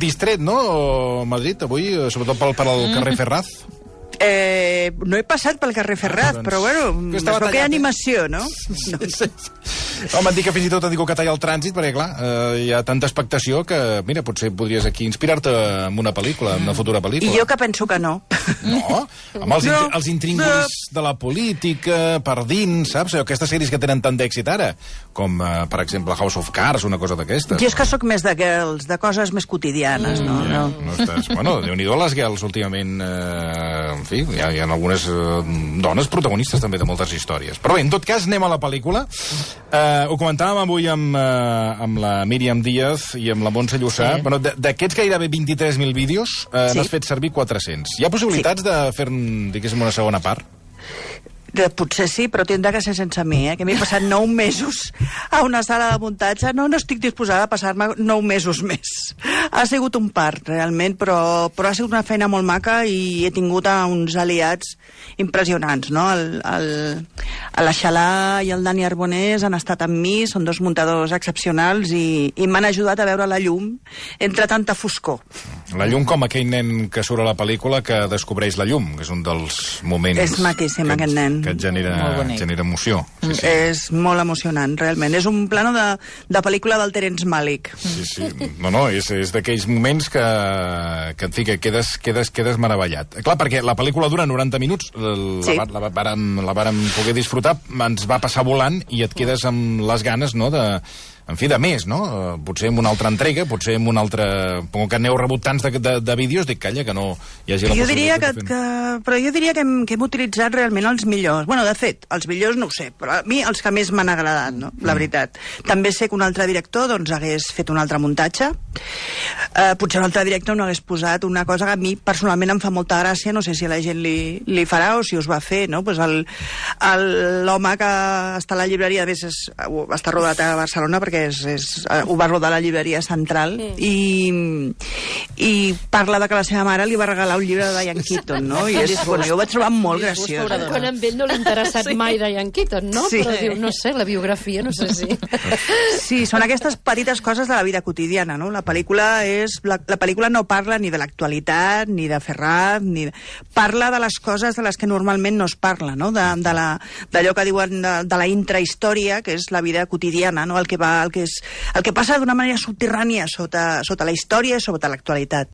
distret, no, Madrid, avui, sobretot per al carrer Ferraz? No he passat pel carrer Ferraz, però bueno, es veu que hi ha animació, no? Sí. Home, et dic que fins i tot et dic que talla el trànsit, perquè, clar, hi ha tanta expectació que, mira, potser podries aquí inspirar-te en una pel·lícula, en una futura pel·lícula. I jo que penso que no. No? Amb els intríngulis de la política, per dins, saps? Aquestes sèries que tenen tant d'èxit ara, com, per exemple, House of Cards, una cosa d'aquestes. Jo és que sóc més de girls, de coses més quotidianes, no? No estàs... Bueno, Déu-n'hi-do les girls últimament... En fi, hi ha algunes dones protagonistes també de moltes històries. Però bé, en tot cas, anem a la pel·lícula. Ho comentàvem avui amb la Míriam Díaz i amb la Montse Llussà. Bueno, d'aquests gairebé 23.000 vídeos, n'has fet servir 400. Hi ha possibilitats de fer, diguéssim, una segona part? Potser sí, però tindrà que ser sense mi, que m'he passat 9 mesos a una sala de muntatge. No estic disposada a passar-me 9 mesos més. Ha sigut un part, realment, però ha sigut una feina molt maca i he tingut uns aliats impressionants, no? L'Aixalà i el Dani Arbonés han estat amb mi, són dos muntadors excepcionals i m'han ajudat a veure la llum entre tanta foscor. La llum com aquell nen que surt a la pel·lícula que descobreix la llum, que és un dels moments... És maquíssim, aquest nen. Que et genera emoció. Sí, sí. És molt emocionant, realment. És un plano de pel·lícula del Terence Malick. Sí, sí. No, és d'aquells moments que en fi, que quedes meravellat. Clar, perquè la pel·lícula dura 90 minuts, la vàrem poder disfrutar, ens va passar volant i et quedes amb les ganes, no?, en fi, de més, no? Potser amb una altra entrega, potser amb una altra... Com que n'heu rebut tants de vídeos, dic, calla, que no hi hagi la possibilitat de fer... Però jo diria que hem utilitzat realment els millors. Bueno, de fet, els millors no ho sé, però a mi els que més m'han agradat, no? La veritat. També sé que un altre director doncs hagués fet un altre muntatge. Potser un altre director no hagués posat una cosa que a mi personalment em fa molta gràcia, no sé si a la gent li farà o si us va fer, no? Pues l'home que està a la llibreria, a més està rodat a Barcelona perquè ho va rodar a la llibreria Central i parla de que la seva mare li va regalar un llibre de Diane Keaton, no? I jo ho vaig trobar molt graciós. Quan a ell no li ha interessat mai Diane Keaton, no? Sí. Però diu, no sé, la biografia, no sé si... Sí, són aquestes petites coses de la vida quotidiana, no? La pel·lícula no parla ni de l'actualitat, ni de Ferraz, parla de les coses de les que normalment no es parla, no? D'allò que diuen de la intrahistòria, que és la vida quotidiana, no? El que passa d'una manera subterrània sota la història i sota l'actualitat.